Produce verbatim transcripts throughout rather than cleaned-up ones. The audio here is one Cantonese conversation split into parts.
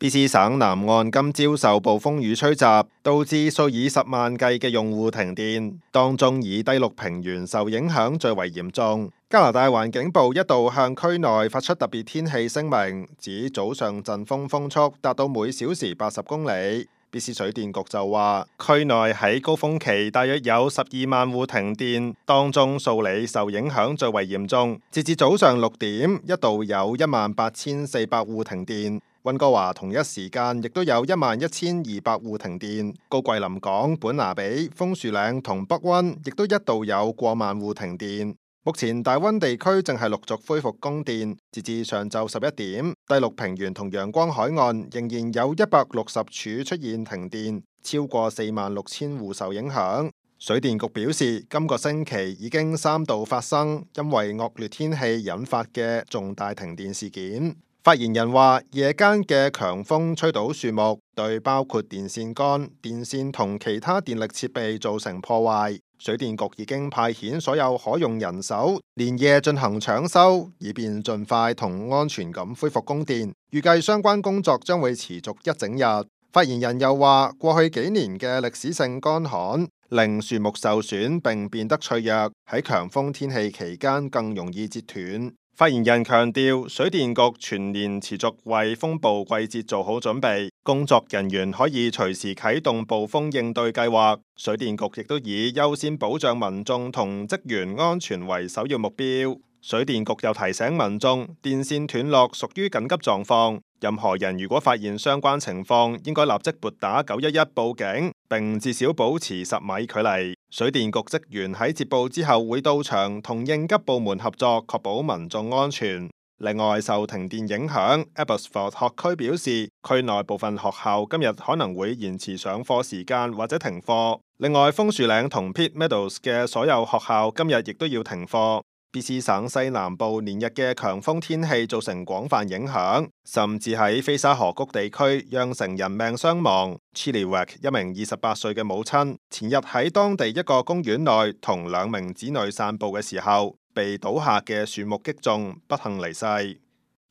B C 省南岸今朝受暴風雨吹襲，導致數以十萬計嘅用戶停電，當中以低陸平原受影響最為嚴重。加拿大環境部一度向區內發出特別天氣聲明，指早上陣風風速達到每小時八十公里。B C 水電局就話，區內喺高峰期大約有十二萬戶停電，當中數里受影響最為嚴重。截至早上六點，一度有一萬八千四百戶停電。溫哥華同一時間亦都有一萬一千二百戶停電，高桂林港、本拿比、楓樹嶺同北溫亦都一度有過萬戶停電。目前大溫地區正係陸續恢復供電，截至上晝十一點，低陸平原同陽光海岸仍然有一百六十處出現停電，超過四萬六千戶受影響。水電局表示，今個星期已經三度發生因為惡劣天氣引發嘅重大停電事件。發言人話，夜間嘅強風吹倒樹木，對包括電線桿、電線同其他電力設備造成破壞。水電局已經派遣所有可用人手，連夜進行搶修，以便盡快同安全咁恢復供電。預計相關工作將會持續一整日。發言人又話，過去幾年嘅歷史性乾旱，令樹木受損並變得脆弱，喺強風天氣期間更容易折斷。發言人強調，水電局全年持續為風暴季節做好準備，工作人員可以隨時啟動暴風應對計劃。水電局亦都以優先保障民眾同職員安全為首要目標。水電局又提醒民眾，電線斷落屬於緊急狀況，任何人如果發現相關情況，應該立即撥打九一一報警，並至少保持十米距離。水電局職員喺接報之後會到場同應急部門合作，確保民眾安全。另外，受停電影響 Abbotsford 學區表示，區內部分學校今日可能會延遲上課時間或者停課。另外，楓樹嶺同 Pitt Meadows 嘅所有學校今日亦都要停課。B C 省西南部連日嘅強風天氣造成廣泛影響，甚至喺菲沙河谷地區釀成人命傷亡。Chilliwack 一名二十八歲嘅母親，前日喺當地一個公園內同兩名子女散步嘅時候，被倒下嘅樹木擊中，不幸離世。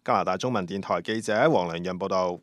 加拿大中文電台記者黃良潤報道。